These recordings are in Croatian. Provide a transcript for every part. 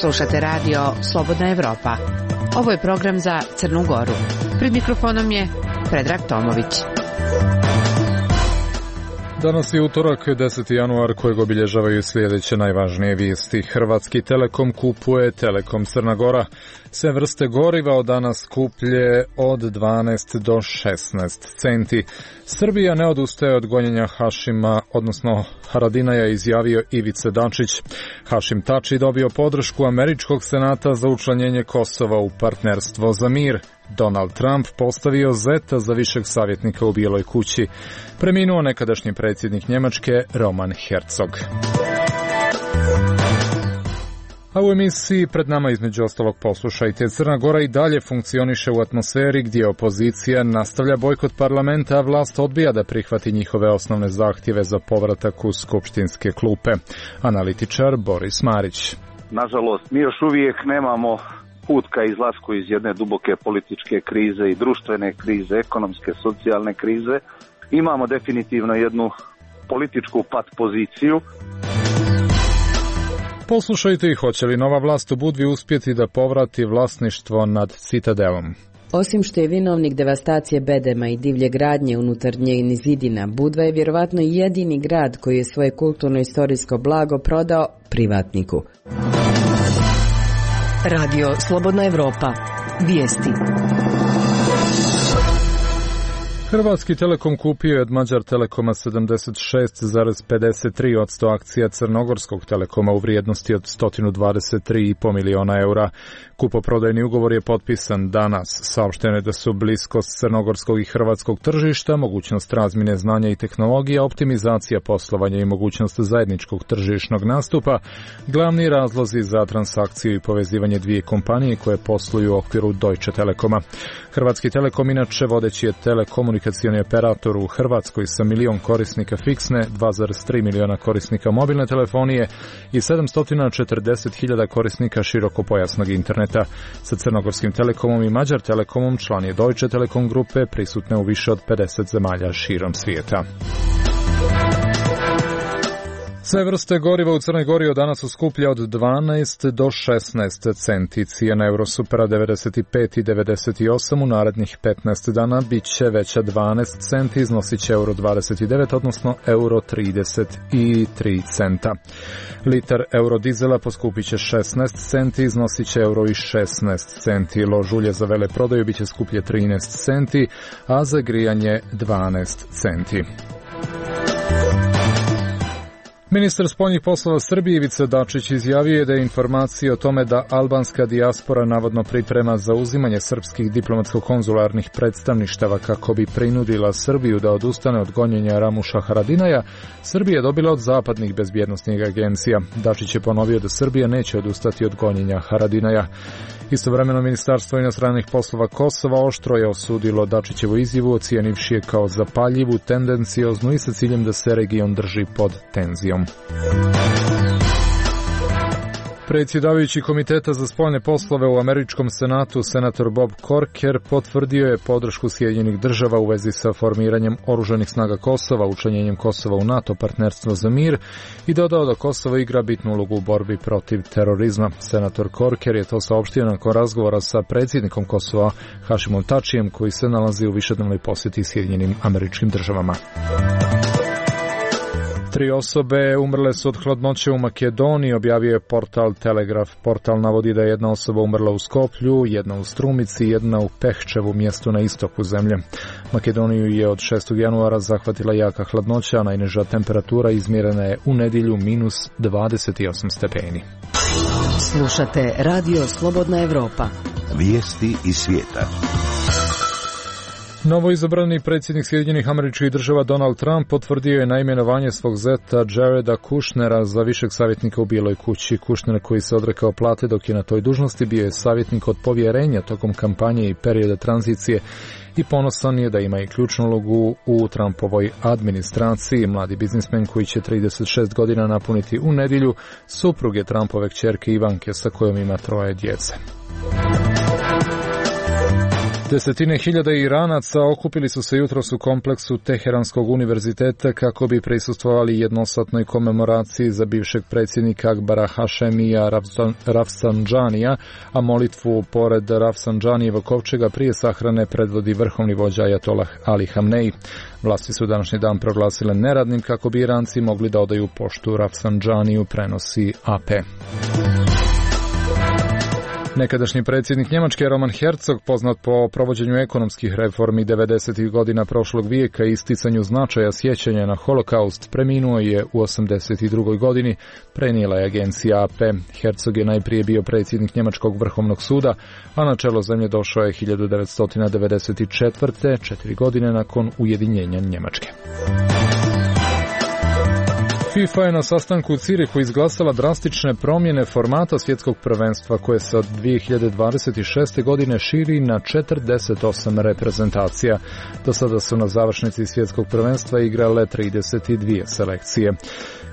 Slušate radio Slobodna Evropa. Ovo je program za Crnu Goru. Pred mikrofonom je Predrag Tomović. Danas je utorak, 10. januar, kojeg obilježavaju sljedeće najvažnije vijesti. Hrvatski Telekom kupuje Telekom Crna Gora. Sve vrste goriva od danas skuplje od 12 do 16 centi. Srbija ne odustaje od gonjenja Hašima, odnosno Haradinaja, izjavio Ivica Dačić. Hašim Tači dobio podršku američkog senata za učlanjenje Kosova u partnerstvo za mir. Donald Trump postavio zeta za višeg savjetnika u Bijeloj kući. Preminuo nekadašnji predsjednik Njemačke Roman Herzog. A u emisiji pred nama između ostalog poslušajte: Crna Gora i dalje funkcioniše u atmosferi gdje opozicija nastavlja bojkot parlamenta, a vlast odbija da prihvati njihove osnovne zahtjeve za povratak u skupštinske klupe. Analitičar Boris Marić. Nažalost, mi još uvijek nemamo put ka izlasku iz jedne duboke političke krize i društvene krize, ekonomske, socijalne krize. Imamo definitivno jednu političku pat poziciju. Poslušajte i hoće li nova vlast u Budvi uspjeti da povrati vlasništvo nad Citadelom. Osim što je vinovnik devastacije bedema i divlje gradnje unutar njenih zidina, Budva je vjerovatno jedini grad koji je svoje kulturno-istorijsko blago prodao privatniku. Radio Slobodna Evropa. Vijesti. Hrvatski Telekom kupio je od Mađar Telekoma 76,53% akcija Crnogorskog Telekoma u vrijednosti od 123,5 miliona eura. Kupoprodajni ugovor je potpisan danas. Saopšteno je da su bliskost crnogorskog i hrvatskog tržišta, mogućnost razmjene znanja i tehnologija, optimizacija poslovanja i mogućnost zajedničkog tržišnog nastupa glavni razlozi za transakciju i povezivanje dvije kompanije koje posluju u okviru Deutsche Telekoma. Hrvatski Telekom inače vodeći je telekomunikacioni operator u Hrvatskoj sa 1 milion korisnika fiksne, 2,3 miliona korisnika mobilne telefonije i 740.000 korisnika širokopojasnog interneta. Sa Crnogorskim Telekomom i Mađar Telekomom član je Deutsche Telekom grupe, prisutne u više od 50 zemalja širom svijeta. Sve vrste goriva u Crnoj Gori od danas su skuplje od 12 do 16 centi. Cijena Eurosupera 95 i 98 u narednih 15 dana bit će veća 12 centi, iznosit će euro 29, odnosno euro 33 centa. Litar eurodizela poskupit će 16 centi, iznosit će euro i 16 centi. Lož ulje za veleprodaju bit će skuplje 13 centi, a za grijanje 12 centi. Ministar spoljnih poslova Srbije Ivica Dačić izjavio je da je informacija o tome da albanska dijaspora navodno priprema zauzimanje srpskih diplomatsko-konzularnih predstavništava kako bi prinudila Srbiju da odustane od gonjenja Ramuša Haradinaja, Srbija je dobila od zapadnih bezbjednosnih agencija. Dačić je ponovio da Srbija neće odustati od gonjenja Haradinaja. Istovremeno Ministarstvo inostranih poslova Kosova oštro je osudilo Dačićevu izjavu, ocijenivši je kao zapaljivu, tendencioznu i sa ciljem da se region drži pod tenzijom. Predsjedavajući Komiteta za spoljne poslove u američkom senatu, senator Bob Corker, potvrdio je podršku Sjedinjenih država u vezi sa formiranjem oružanih snaga Kosova, učlanjenjem Kosova u NATO partnerstvo za mir i dodao da Kosovo igra bitnu ulogu u borbi protiv terorizma. Senator Corker je to saopštio nakon razgovora sa predsjednikom Kosova Hašimom Tačijem, koji se nalazi u višednevnoj posjeti Sjedinjenim Američkim Državama. 3 osobe umrle su od hladnoće u Makedoniji, objavio je portal Telegraf. Portal navodi da je jedna osoba umrla u Skoplju, jedna u Strumici i jedna u Pehčevu, mjestu na istoku zemlje. Makedoniju je od 6. januara zahvatila jaka hladnoća, a najniža temperatura izmjerena je u nedjelju minus 28 stepeni. Slušate Radio Slobodna Evropa. Vijesti iz svijeta. Novoizabrani predsjednik Sjedinjenih Američkih Država Donald Trump potvrdio je naimenovanje svog zeta Jareda Kushnera za višeg savjetnika u Bijeloj kući. Kushner, koji se odrekao plate dok je na toj dužnosti, bio je savjetnik od povjerenja tokom kampanje i perioda tranzicije i ponosan je da ima i ključnu ulogu u Trumpovoj administraciji. Mladi biznismen koji će 36 godina napuniti u nedjelju, suprug je Trumpove kćerke Ivanke sa kojom ima 3 djece. Desetine hiljada Iranaca okupili su se jutros u kompleksu Teheranskog univerziteta kako bi prisustvovali jednosatnoj komemoraciji za bivšeg predsjednika Akbara Hašemija Rafsanđanija, a molitvu pored Rafsanđanijevog kovčega prije sahrane predvodi vrhovni vođa Ajatolah Ali Hamnej. Vlasti su današnji dan proglasile neradnim kako bi Iranci mogli da odaju poštu Rafsanđaniju, prenosi AP. Nekadašnji predsjednik Njemačke Roman Herzog, poznat po provođenju ekonomskih reformi 90. godina prošlog vijeka i isticanju značaja sjećanja na holokaust, preminuo je u 82. godini, prenijela je agencija AP. Herzog je najprije bio predsjednik Njemačkog vrhovnog suda, a na čelo zemlje došao je 1994. 4 godine nakon ujedinjenja Njemačke. FIFA je na sastanku u Cirihu izglasala drastične promjene formata svjetskog prvenstva koje se od 2026. godine širi na 48 reprezentacija. Do sada su na završnici svjetskog prvenstva igrale 32 selekcije.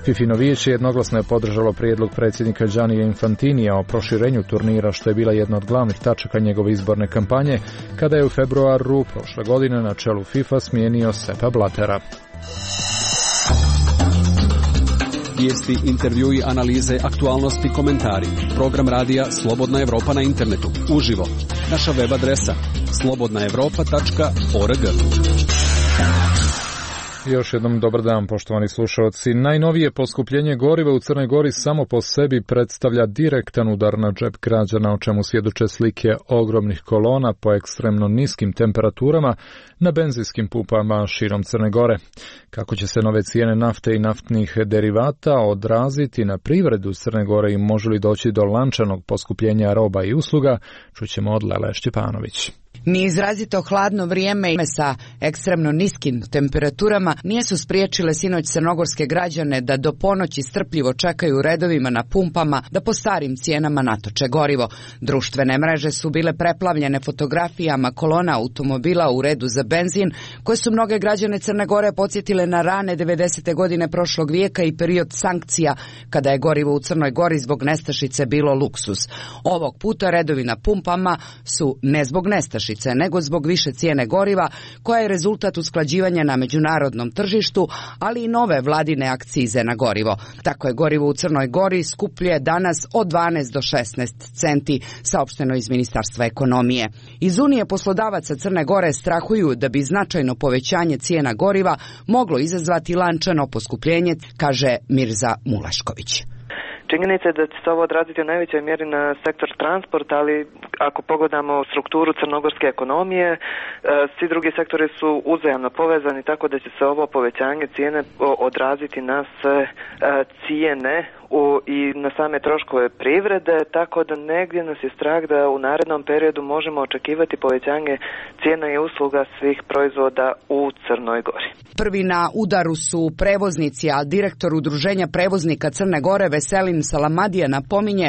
FIFIno vijeće jednoglasno je podržalo prijedlog predsjednika Giannija Infantinija o proširenju turnira, što je bila jedna od glavnih tačaka njegove izborne kampanje, kada je u februaru prošle godine na čelu FIFA smijenio Seppa Blattera. Vijesti, intervjui, analize, aktualnosti, komentari. Program radija Slobodna Evropa na internetu. Uživo. Naša web adresa slobodnaevropa.org. Još jednom dobar dan, poštovani slušalci. Najnovije poskupljenje goriva u Crnoj Gori samo po sebi predstavlja direktan udar na džep građana, o čemu svjedoče slike ogromnih kolona po ekstremno niskim temperaturama na benzinskim pumpama širom Crne Gore. Kako će se nove cijene nafte i naftnih derivata odraziti na privredu Crne Gore i može li doći do lančanog poskupljenja roba i usluga, čućemo od Lele Šćepanović. Ni izrazito hladno vrijeme sa ekstremno niskim temperaturama nisu spriječile sinoć crnogorske građane da do ponoći strpljivo čekaju u redovima na pumpama da po starim cijenama natoče gorivo. Društvene mreže su bile preplavljene fotografijama kolona automobila u redu za benzin, koje su mnoge građane Crne Gore podsjetile na rane 90. godine prošlog vijeka i period sankcija, kada je gorivo u Crnoj Gori zbog nestašice bilo luksuz. Ovog puta redovi na pumpama su ne zbog nestašice, nego zbog više cijene goriva, koja je rezultat usklađivanja na međunarodnom tržištu, ali i nove vladine akcize na gorivo. Tako je gorivo u Crnoj Gori skuplje danas od 12 do 16 centi, saopšteno iz Ministarstva ekonomije. Iz Unije poslodavaca Crne Gore strahuju da bi značajno povećanje cijena goriva moglo izazvati lančano poskupljenje, kaže Mirza Mulašković. Činjenica je da će se ovo odraziti u najvećoj mjeri na sektor transporta, ali ako pogledamo strukturu crnogorske ekonomije, svi drugi sektori su uzajamno povezani, tako da će se ovo povećanje cijene odraziti na sve cijene i na same troškove privrede, tako da negdje nas je strah da u narednom periodu možemo očekivati povećanje cijena i usluga svih proizvoda u Crnoj Gori. Prvi na udaru su prevoznici, a direktor Udruženja prevoznika Crne Gore Veselin Salamadija napominje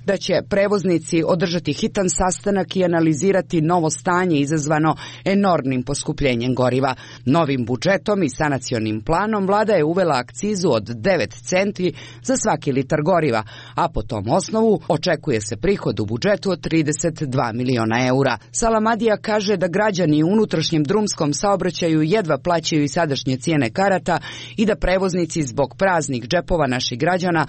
da će prevoznici održati hitan sastanak i analizirati novo stanje izazvano enormnim poskupljenjem goriva. Novim budžetom i sanacionim planom vlada je uvela akcizu od 9 centi za svaki litar goriva, a po tom osnovu očekuje se prihod u budžetu od 32 miliona eura. Salamadija kaže da građani u unutrašnjem drumskom saobraćaju jedva plaćaju i sadašnje cijene karata i da prevoznici zbog praznih džepova naših građana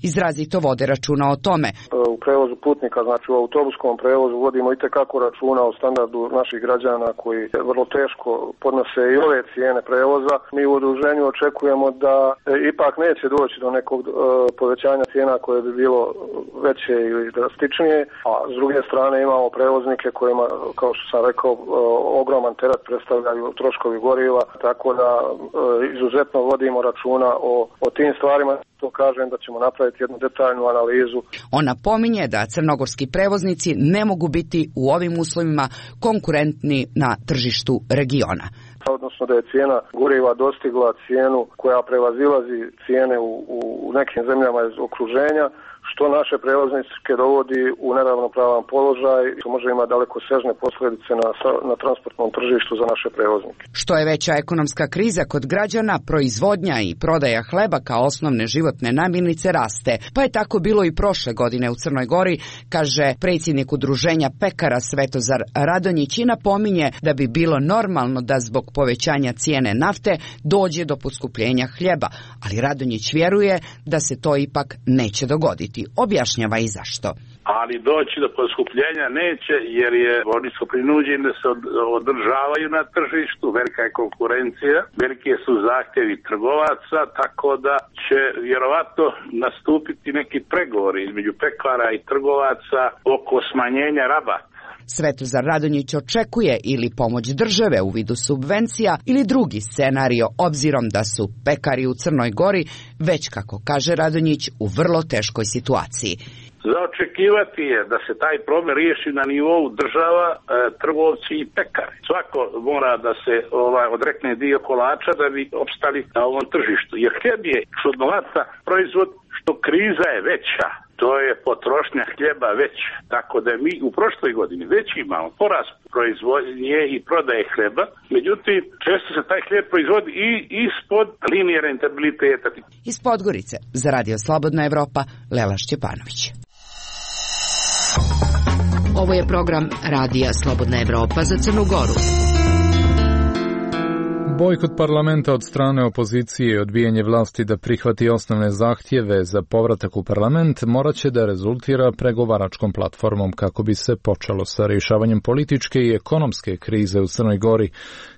izrazito vode računa o tome. U prevozu putnika, znači u autobuskom prevozu, vodimo itekako računa o standardu naših građana koji vrlo teško podnose i ove cijene prevoza. Mi u udruženju očekujemo da ipak neće doći do nekog povećanja cijena koje bi bilo veće ili drastičnije, a s druge strane imamo prevoznike kojima, kao što sam rekao, ogroman teret predstavljaju troškovi goriva, tako da izuzetno vodimo računa o tim stvarima. To kažem da ćemo napraviti jednu detaljnu analizu. On napominje da crnogorski prevoznici ne mogu biti u ovim uslovima konkurentni na tržištu regiona. Odnosno da je cijena goriva dostigla cijenu koja prevazilazi cijene u nekim zemljama iz okruženja, što naše prevoznike dovodi u neravnopravan položaj, što može imati dalekosežne posljedice na transportnom tržištu za naše prevoznike. Što je veća ekonomska kriza kod građana, proizvodnja i prodaja hleba kao osnovne životne namirnice raste. Pa je tako bilo i prošle godine u Crnoj Gori, kaže predsjednik udruženja pekara Svetozar Radonjić i napominje da bi bilo normalno da zbog povećanja cijene nafte dođe do poskupljenja hljeba, ali Radonjić vjeruje da se to ipak neće dogoditi. Objašnjava i zašto. Ali doći do poskupljenja neće, jer oni su prinuđeni da se održavaju na tržištu, velika je konkurencija, velike su zahtjevi trgovaca, tako da će vjerovatno nastupiti neki pregovori između pekara i trgovaca oko smanjenja rabata. Svetozar Radonjić očekuje ili pomoć države u vidu subvencija ili drugi scenario, obzirom da su pekari u Crnoj Gori već, kako kaže Radonjić, u vrlo teškoj situaciji. Za očekivati je da se taj problem riješi na nivou država, trgovci i pekari. Svako mora da se odrekne dio kolača da bi opstali na ovom tržištu. Jer hljeb je čudnovata proizvod, što kriza je veća. To je potrošnja hljeba veća. Tako da mi u prošloj godini već imamo porast proizvodnje i prodaje hljeba. Međutim, često se taj hljeb proizvodi i ispod linije rentabiliteta. Iz Podgorice za Radio Slobodna Evropa, Lela Šćepanović. Ovo je program Radija Slobodna Evropa za Crnu Goru. Bojkot parlamenta od strane opozicije i odbijanje vlasti da prihvati osnovne zahtjeve za povratak u parlament morat će da rezultira pregovaračkom platformom kako bi se počelo sa rješavanjem političke i ekonomske krize u Crnoj Gori,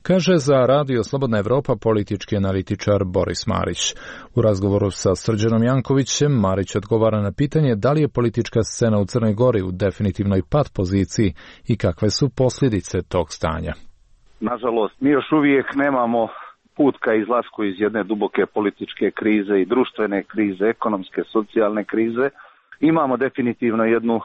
kaže za Radio Slobodna Evropa politički analitičar Boris Marić. U razgovoru sa Srđanom Jankovićem Marić odgovara na pitanje da li je politička scena u Crnoj Gori u definitivnoj pad poziciji i kakve su posljedice tog stanja. Nažalost, mi još uvijek nemamo put ka izlasku iz jedne duboke političke krize i društvene krize, ekonomske, socijalne krize. Imamo definitivno jednu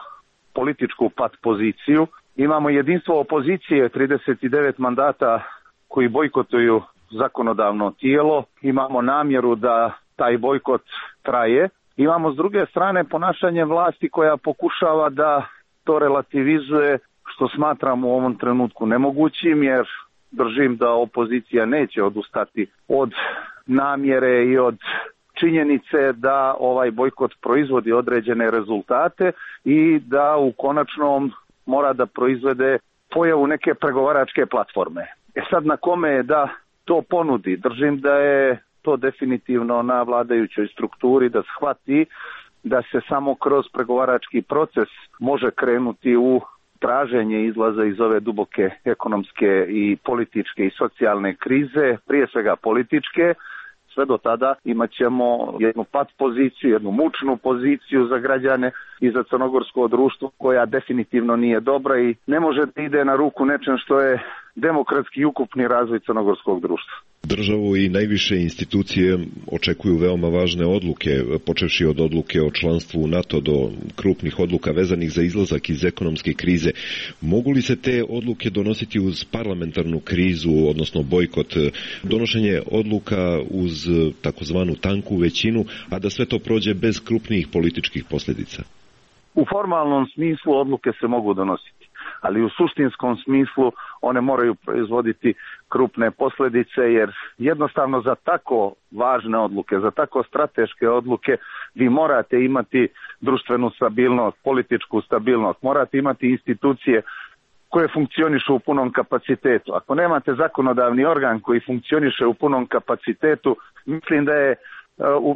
političku pad poziciju. Imamo jedinstvo opozicije, 39 mandata koji bojkotuju zakonodavno tijelo. Imamo namjeru da taj bojkot traje. Imamo s druge strane ponašanje vlasti koja pokušava da to relativizuje, što smatram u ovom trenutku nemogućim, jer držim da opozicija neće odustati od namjere i od činjenice da ovaj bojkot proizvodi određene rezultate i da u konačnom mora da proizvede pojavu neke pregovaračke platforme. Sad na kome je da to ponudi? Držim da je to definitivno na vladajućoj strukturi da shvati da se samo kroz pregovarački proces može krenuti u traženje izlaza iz ove duboke ekonomske i političke i socijalne krize, prije svega političke. Sve do tada imat ćemo jednu pad poziciju, jednu mučnu poziciju za građane i za crnogorsko društvo koja definitivno nije dobra i ne može da ide na ruku nečem što je demokratski i ukupni razvoj crnogorskog društva. Državu i najviše institucije očekuju veoma važne odluke, počevši od odluke o članstvu u NATO do krupnih odluka vezanih za izlazak iz ekonomske krize. Mogu li se te odluke donositi uz parlamentarnu krizu, odnosno bojkot, donošenje odluka uz takozvanu tanku većinu, a da sve to prođe bez krupnijih političkih posljedica? U formalnom smislu odluke se mogu donositi, ali u suštinskom smislu one moraju proizvoditi krupne posljedice, jer jednostavno za tako važne odluke, za tako strateške odluke vi morate imati društvenu stabilnost, političku stabilnost, morate imati institucije koje funkcionišu u punom kapacitetu. Ako nemate zakonodavni organ koji funkcioniše u punom kapacitetu, mislim da je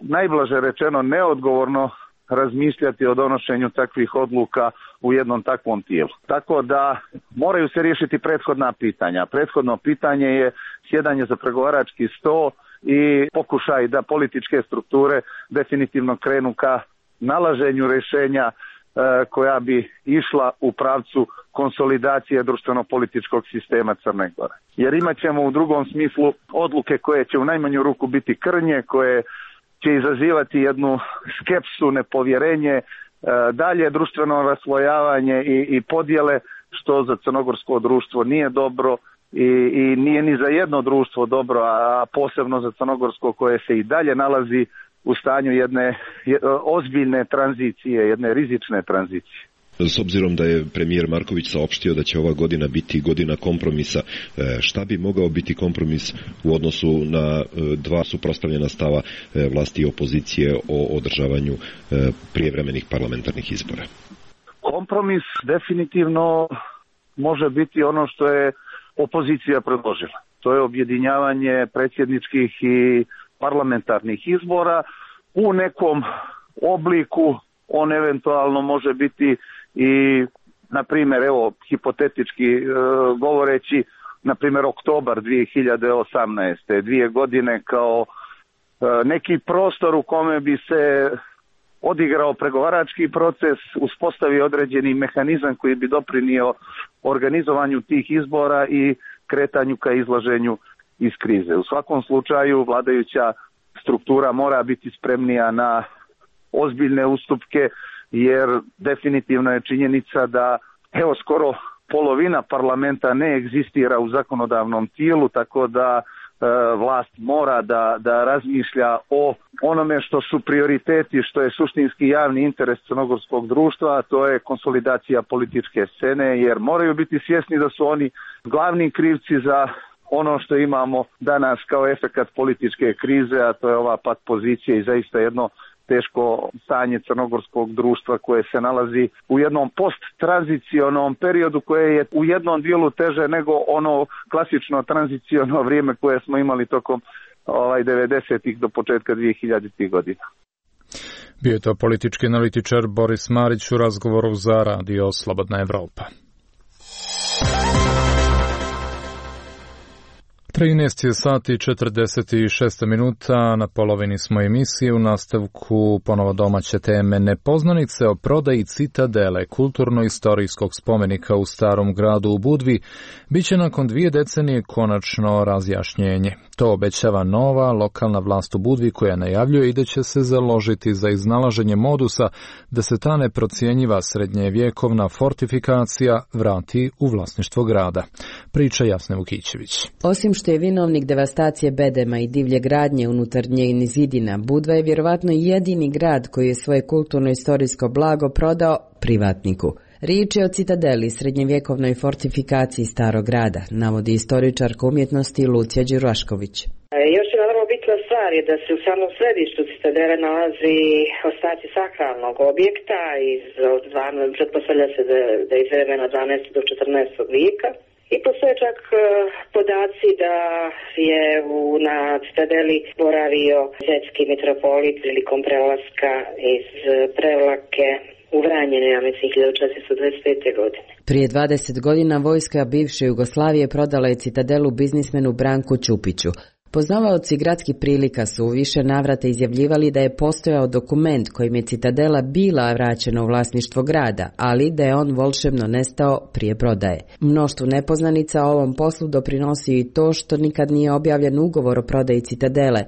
najblaže rečeno neodgovorno razmišljati o donošenju takvih odluka u jednom takvom tijelu. Tako da moraju se riješiti prethodna pitanja. Prethodno pitanje je sjedanje za pregovarački sto i pokušaj da političke strukture definitivno krenu ka nalaženju rješenja koja bi išla u pravcu konsolidacije društveno-političkog sistema Crne Gore. Jer imat ćemo u drugom smislu odluke koje će u najmanju ruku biti krnje, koje će izazivati jednu skepsu, nepovjerenje, dalje društveno raslojavanje i podjele, što za crnogorsko društvo nije dobro i nije ni za jedno društvo dobro, a posebno za crnogorsko koje se i dalje nalazi u stanju jedne ozbiljne tranzicije, jedne rizične tranzicije. S obzirom da je premijer Marković saopštio da će ova godina biti godina kompromisa, šta bi mogao biti kompromis u odnosu na dva suprotstavljena stava vlasti i opozicije o održavanju prijevremenih parlamentarnih izbora? Kompromis definitivno može biti ono što je opozicija predložila. To je objedinjavanje predsjedničkih i parlamentarnih izbora u nekom obliku. On eventualno može biti i, na primjer, evo, hipotetički govoreći, na primjer, oktobar 2018. 2 godine kao neki prostor u kome bi se odigrao pregovarački proces, uspostavio određeni mehanizam koji bi doprinio organizovanju tih izbora i kretanju ka izlaženju iz krize. U svakom slučaju vladajuća struktura mora biti spremnija na ozbiljne ustupke, jer definitivno je činjenica da evo skoro polovina parlamenta ne egzistira u zakonodavnom tijelu, tako da vlast mora da razmišlja o onome što su prioriteti, što je suštinski javni interes crnogorskog društva, a to je konsolidacija političke scene, jer moraju biti svjesni da su oni glavni krivci za ono što imamo danas kao efekat političke krize, a to je ova pat pozicija i zaista jedno teško stanje crnogorskog društva koje se nalazi u jednom post-tranzicionom periodu koje je u jednom dijelu teže nego ono klasično tranziciono vrijeme koje smo imali tokom 90-ih do početka 2000-ih godina. Bio je to politički analitičar Boris Marić u razgovoru za Radio Slobodna Evropa. 13 sati 46 minuta, na polovini smo emisije, u nastavku ponovo domaće teme. Nepoznanice o prodaji Citadele, kulturno-istorijskog spomenika u Starom gradu u Budvi, bit će nakon 2 decenije konačno razjašnjenje. To obećava nova lokalna vlast u Budvi koja najavljuje i da će se založiti za iznalaženje modusa da se ta neprocjenjiva srednjevjekovna fortifikacija vrati u vlasništvo grada. Priča Jasne Vukićević. Osim što je vinovnik devastacije bedema i divlje gradnje unutar njenih zidina, Budva je vjerovatno jedini grad koji je svoje kulturno-istorijsko blago prodao privatniku. Riječ je o Citadeli, srednjevjekovnoj fortifikaciji Starog grada, navodi istoričarka umjetnosti Lucija Đurašković. Još jedna vrlo bitna stvar je da se u samom središtu Citadele nalazi ostaci sakralnog objekta, pretpostavlja se da je iz vremena 12. do 14. vijeka. I postoje čak podaci da je na Citadeli boravio zetski mitropolit prilikom prelaska iz Prevlake u Vranjenu, ja mislim, 1425. godine. Prije 20 godina vojska bivše Jugoslavije prodala je Citadelu biznismenu Branku Ćupiću. Poznavaoci gradskih prilika su u više navrata izjavljivali da je postojao dokument kojim je Citadela bila vraćena u vlasništvo grada, ali da je on volšebno nestao prije prodaje. Mnoštvu nepoznanica o ovom poslu doprinosi i to što nikad nije objavljen ugovor o prodaji Citadele,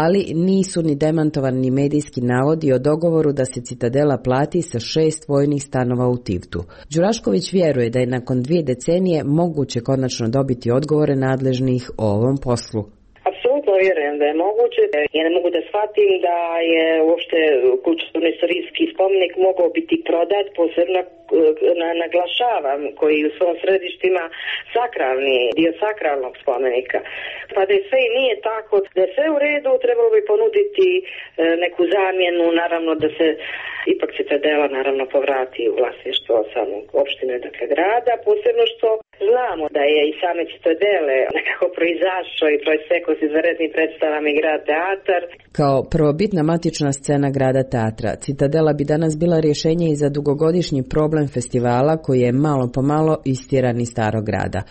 ali nisu ni demantovani ni medijski navodi o dogovoru da se Citadela plati sa 6 vojnih stanova u Tivtu. Đurašković vjeruje da je nakon 2 decenije moguće konačno dobiti odgovore nadležnih o ovom poslu. Apsolutno vjerujem da je moguće. Ja ne mogu da shvatim da je uopšte kulturno-istorijski spomenik mogao biti prodat, posebno naglašavam, koji u svom središtu ima sakralni dio sakralnog spomenika. Pa da je sve i nije tako, da je sve u redu, trebalo bi ponuditi neku zamjenu, naravno da se ipak Citadela naravno povrati u vlasništvo samog opštine, dakle grada, posebno što znamo da je i same Citadele nekako proizašao i proistekao s izvanrednim predstavama i grad teatar. Kao prvobitna matična scena grada teatra, Citadela bi danas bila rješenje i za dugogodišnji problem festivala koji je malo po malo istjeran iz Starog grada.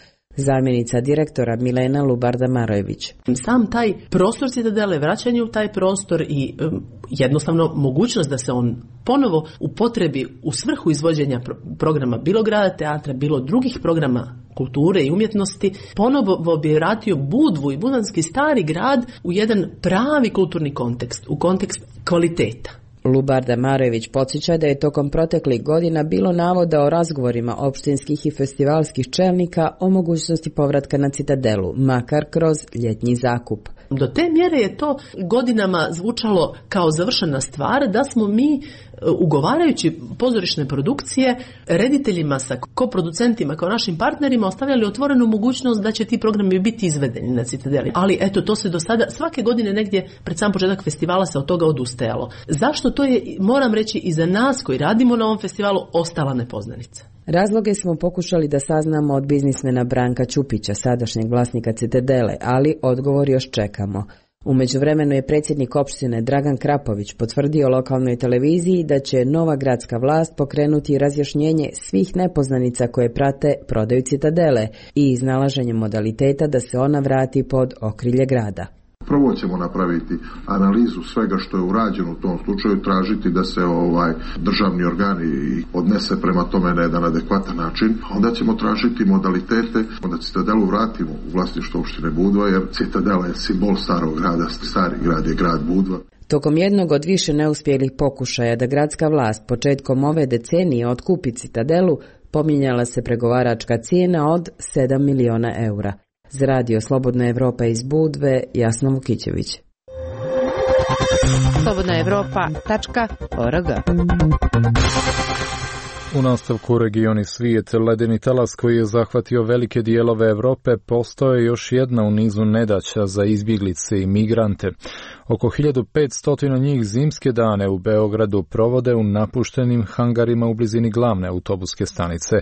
Zamjenica direktora Milena Lubarda-Marojević. Sam taj prostor Citadele, vraćanje u taj prostor i jednostavno mogućnost da se on ponovo upotrebi u svrhu izvođenja programa bilo grada teatra, bilo drugih programa kulture i umjetnosti, ponovo bi vratio Budvu i budanski Stari grad u jedan pravi kulturni kontekst, u kontekst kvaliteta. Lubarda Marojević podsjeća da je tokom proteklih godina bilo navoda o razgovorima opštinskih i festivalskih čelnika o mogućnosti povratka na Citadelu, makar kroz ljetnji zakup. Do te mjere je to godinama zvučalo kao završena stvar da smo mi ugovarajući pozorišne produkcije rediteljima sa koproducentima kao našim partnerima ostavljali otvorenu mogućnost da će ti programi biti izvedeni na Citadeli. Ali eto, to se do sada svake godine negdje pred sam početak festivala se od toga odustajalo. Zašto? To je, moram reći, i za nas koji radimo na ovom festivalu ostala nepoznanica. Razloge smo pokušali da saznamo od biznismena Branka Ćupića, sadašnjeg vlasnika Citadele, ali odgovor još čekamo. U međuvremenu je predsjednik opštine Dragan Krapović potvrdio lokalnoj televiziji da će nova gradska vlast pokrenuti razjašnjenje svih nepoznanica koje prate prodaju Citadele i iznalaženje modaliteta da se ona vrati pod okrilje grada. Prvo ćemo napraviti analizu svega što je urađeno u tom slučaju, tražiti da se državni organi odnese prema tome na jedan adekvatan način. Onda ćemo tražiti modalitete da Citadelu vratimo u vlasništvo opštine Budva, jer Citadela je simbol starog grada, stari grad je grad Budva. Tokom jednog od više neuspjelih pokušaja da gradska vlast početkom ove decenije otkupi Citadelu, pominjala se pregovaračka cijena od 7 miliona eura. Za radio Slobodna Evropa iz Budve, Jasna Vukićević. slobodnaevropa.org. U nastavku regioni svijet, ledeni talas koji je zahvatio velike dijelove Europe postao je još jedna u nizu nedaća za izbjeglice i migrante. Oko 1500 njih zimske dane u Beogradu provode u napuštenim hangarima u blizini glavne autobuske stanice.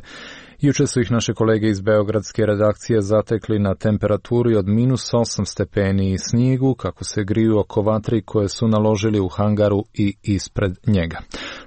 Juče su ih naše kolege iz beogradske redakcije zatekli na temperaturi od -8 stepeni i snijegu, kako se griju oko vatri koje su naložili u hangaru i ispred njega.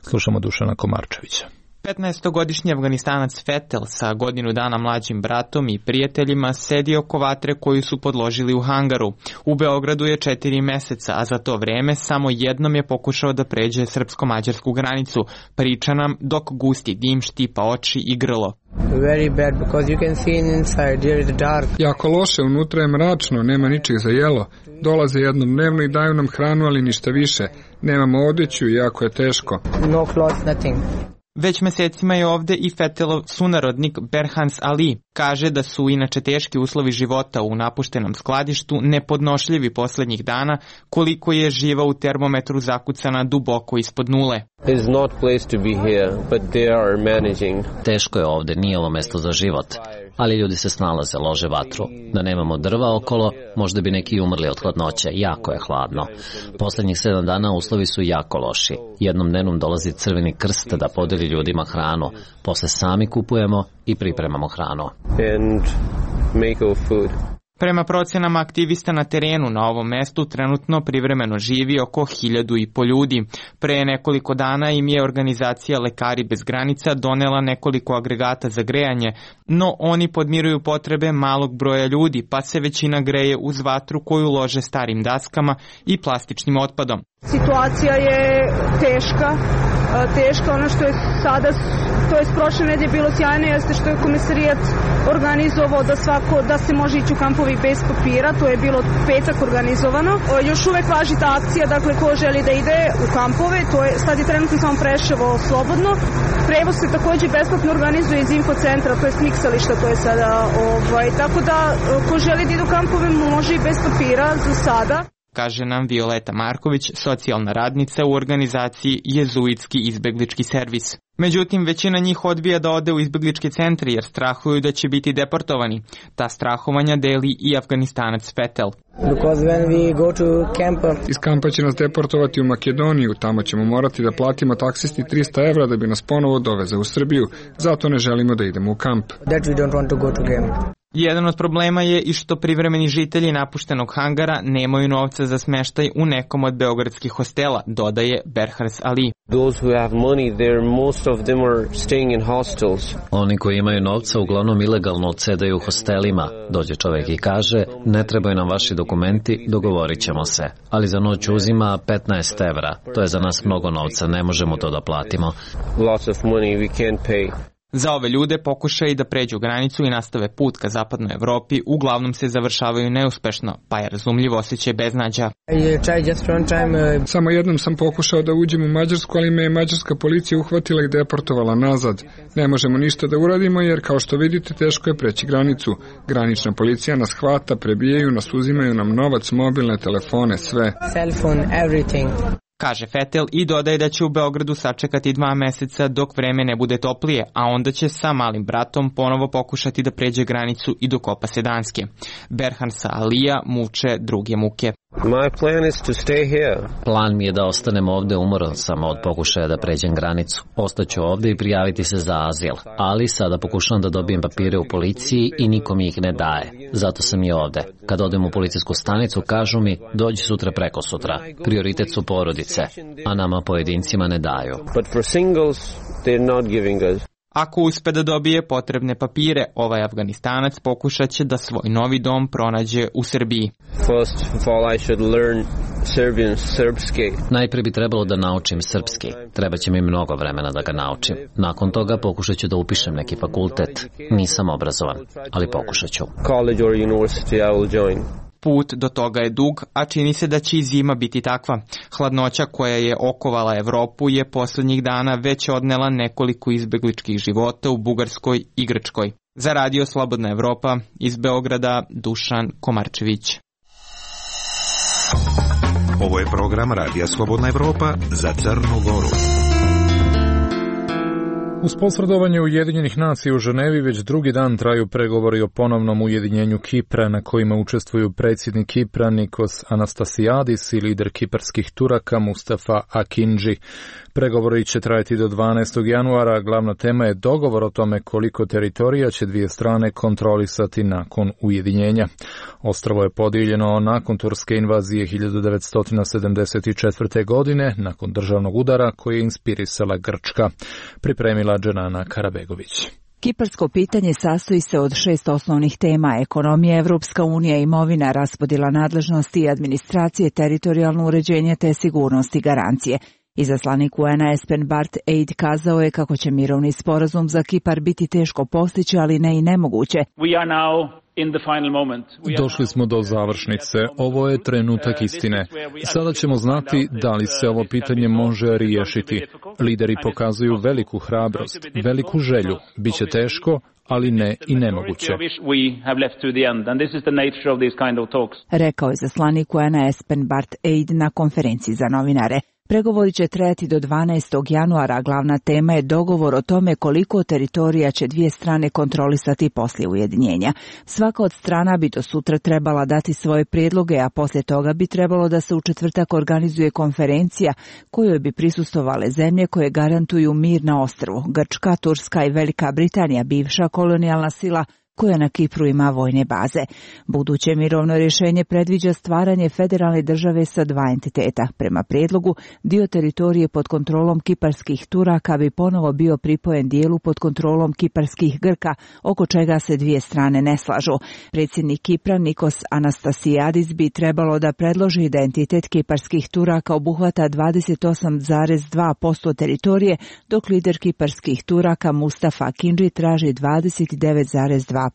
Slušamo Dušana Komarčevića. 15-godišnji Afganistanac Fetel sa godinu dana mlađim bratom i prijateljima sedi oko vatre koju su podložili u hangaru. U Beogradu je 4 meseca, a za to vreme samo jednom je pokušao da pređe srpsko-mađarsku granicu. Priča nam dok gusti dim štipa oči i grlo. Very bad because you can see inside, here is dark. Jako loše, unutra je mračno, nema ničeg za jelo. Dolaze jednodnevno i daju nam hranu, ali ništa više. Nemamo odjeću i jako je teško. No clothes, nothing. Već mesecima je ovde i Fetelov sunarodnik Berhans Ali. Kaže da su inače teški uslovi života u napuštenom skladištu nepodnošljivi posljednjih dana, koliko je živa u termometru zakucana duboko ispod nule. Teško je ovde, nije ovo mesto za život, ali ljudi se snalaze, lože vatru. Da nemamo drva okolo, možda bi neki umrli od hladnoće, jako je hladno. Posljednjih 7 dana uslovi su jako loši. Jednom dnevnom dolazi Crveni krst da podeli ljudima hranu, posle sami kupujemo i pripremamo hranu. Prema procenama aktivista na terenu na ovom mestu trenutno privremeno živi oko 1500 ljudi. Pre nekoliko dana im je organizacija Lekari bez granica donela nekoliko agregata za grejanje, no oni podmiruju potrebe malog broja ljudi, pa se većina greje uz vatru koju lože starim daskama i plastičnim otpadom. Situacija je teška, ono što je sada, to je prošle nedelje bilo sjajno, jeste što je komisarijat organizovao da se može ići u kampovi bez papira, to je bilo petak organizovano. Još uvek važi ta akcija, dakle ko želi da ide u kampove, to je sad je trenutno samo Preševo slobodno. Prevoz se također besplatno organizuje iz infocentra, to je smiksališta, to je sada, tako da ko želi da ide u kampove može i bez papira za sada. Kaže nam Violeta Marković, socijalna radnica u organizaciji Jezuitski izbeglički servis. Međutim, većina njih odbija da ode u izbegličke centre jer strahuju da će biti deportovani. Ta strahovanja deli i Afganistanac Fetel. Iz kampa će nas deportovati u Makedoniju, tamo ćemo morati da platimo taksisti 300 evra da bi nas ponovo doveze u Srbiju, zato ne želimo da idemo u kamp. Jedan od problema je i što privremeni žitelji napuštenog hangara nemaju novca za smeštaj u nekom od beogradskih hostela, dodaje Berhans Ali. Oni koji imaju novca uglavnom ilegalno odsedaju u hostelima. Dođe čovjek i kaže, ne trebaju nam vaši dokumenti, dogovorit ćemo se. Ali za noć uzima 15 evra. To je za nas mnogo novca, ne možemo to da platimo. Za ove ljude pokušaj da pređu granicu i nastave put ka zapadnoj Evropi uglavnom se završavaju neuspešno, pa je razumljivo osjećaj beznađa. Samo jednom sam pokušao da uđem u Mađarsku, ali me je mađarska policija uhvatila i deportovala nazad. Ne možemo ništa da uradimo jer, kao što vidite, teško je preći granicu. Granična policija nas hvata, prebijaju nas, uzimaju nam novac, mobilne telefone, sve. Kaže Fetel i dodaje da će u Beogradu sačekati 2 meseca dok vreme ne bude toplije, a onda će sa malim bratom ponovo pokušati da pređe granicu i dokopa se Danske. Berhan sa Alija muče druge muke. Plan mi je da ostanem ovde, umoran sam od pokušaja da pređem granicu. Ostaću ovde i prijaviti se za azil, ali sada pokušavam da dobijem papire u policiji i niko mi ih ne daje. Zato sam i ovde. Kad odem u policijsku stanicu, kažu mi dođi sutra preko sutra. Prioritet su porodice, a nama pojedincima ne daju. Ako uspe da dobije potrebne papire, ovaj Afganistanac pokušat će da svoj novi dom pronađe u Srbiji. Najpre bi trebalo da naučim srpski. Trebaće mi mnogo vremena da ga naučim. Nakon toga pokušat ću da upišem neki fakultet. Nisam obrazovan, ali pokušat ću. Put do toga je dug, a čini se da će i zima biti takva. Hladnoća koja je okovala Evropu je poslednjih dana već odnela nekoliko izbegličkih života u Bugarskoj i Grčkoj. Za Radio Slobodna Evropa iz Beograda, Dušan Komarčević. Ovo je program Radija Slobodna Evropa za Crnu Goru. Uz posredovanje Ujedinjenih nacija u Ženevi već drugi dan traju pregovori o ponovnom ujedinjenju Kipra na kojima učestvuju predsjednik Kipra Nikos Anastasiadis i lider kiparskih Turaka Mustafa Akindži. Pregovori će trajati do 12. januara, glavna tema je dogovor o tome koliko teritorija će dvije strane kontrolisati nakon ujedinjenja. Ostrvo je podijeljeno nakon turske invazije 1974. godine, nakon državnog udara koji je inspirisala Grčka. Pripremila Dženana Karabegović. Kiparsko pitanje sastoji se od 6 osnovnih tema: ekonomija, Evropska unija, imovina, raspodjela nadležnosti i administracije, teritorijalno uređenje te sigurnost i garancije. Izaslanik UN-a Espen Barth Eid kazao je kako će mirovni sporazum za Kipar biti teško postići, ali ne i nemoguće. Došli smo do završnice. Ovo je trenutak istine. Sada ćemo znati da li se ovo pitanje može riješiti. Lideri pokazuju veliku hrabrost, veliku želju. Biće teško, ali ne i nemoguće. Rekao je izaslanik UN-a Espen Barth Eid na konferenciji za novinare. Pregovori će trajati do 12. januara, a glavna tema je dogovor o tome koliko teritorija će dvije strane kontrolisati poslije ujedinjenja. Svaka od strana bi do sutra trebala dati svoje prijedloge, a poslije toga bi trebalo da se u četvrtak organizuje konferencija kojoj bi prisustvovale zemlje koje garantuju mir na ostrvu: Grčka, Turska i Velika Britanija, bivša kolonijalna sila koja na Kipru ima vojne baze. Buduće mirovno rješenje predviđa stvaranje federalne države sa 2 entiteta. Prema prijedlogu, dio teritorije pod kontrolom kiparskih Turaka bi ponovo bio pripojen dijelu pod kontrolom kiparskih Grka, oko čega se dvije strane ne slažu. Predsjednik Kipra Nikos Anastasiadis bi trebalo da predloži da entitet kiparskih Turaka obuhvata 28,2% teritorije, dok lider kiparskih Turaka Mustafa Akindži traži 29,2%.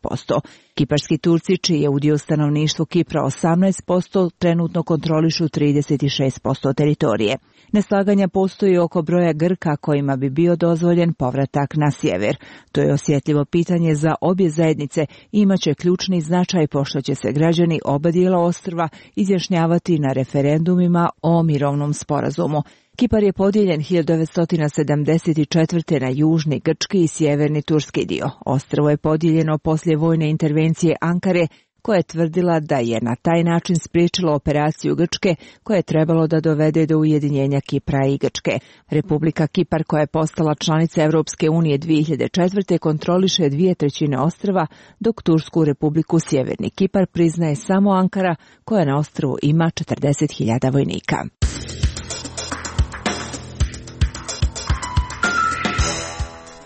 Kiparski Turci, čiji je udio stanovništvu Kipra 18%, trenutno kontrolišu 36% teritorije. Neslaganja postoji oko broja Grka kojima bi bio dozvoljen povratak na sjever. To je osjetljivo pitanje za obje zajednice i imaće ključni značaj pošto će se građani oba dijela ostrva izjašnjavati na referendumima o mirovnom sporazumu. Kipar je podijeljen 1974. na južni grčki i sjeverni turski dio. Ostrvo je podijeljeno poslije vojne intervencije Ankare, koja je tvrdila da je na taj način spriječila operaciju Grčke koja je trebalo da dovede do ujedinjenja Kipra i Grčke. Republika Kipar, koja je postala članica Evropske unije 2004. kontroliše 2/3 ostrva, dok Tursku republiku Sjeverni Kipar priznaje samo Ankara, koja na ostrvu ima 40.000 vojnika.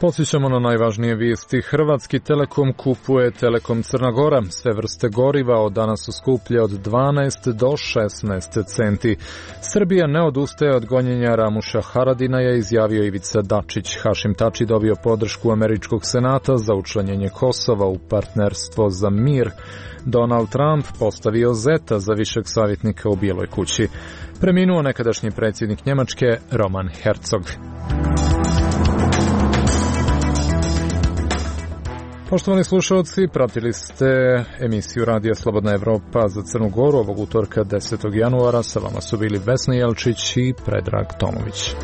Podsjećamo na najvažnije vijesti. Hrvatski Telekom kupuje Telekom Crna Gora. Sve vrste goriva od danas su skuplje od 12 do 16 centi. Srbija ne odustaje od gonjenja Ramuša Haradina, je izjavio Ivica Dačić. Hašim Tači dobio podršku američkog senata za učlanjenje Kosova u partnerstvo za mir. Donald Trump postavio zeta za višeg savjetnika u Bijeloj kući. Preminuo nekadašnji predsjednik Njemačke Roman Herzog. Poštovani slušalci, pratili ste emisiju Radija Slobodna Evropa za Crnu Goru ovog utorka 10. januara. Sa vama su bili Vesna Jelčić i Predrag Tomović.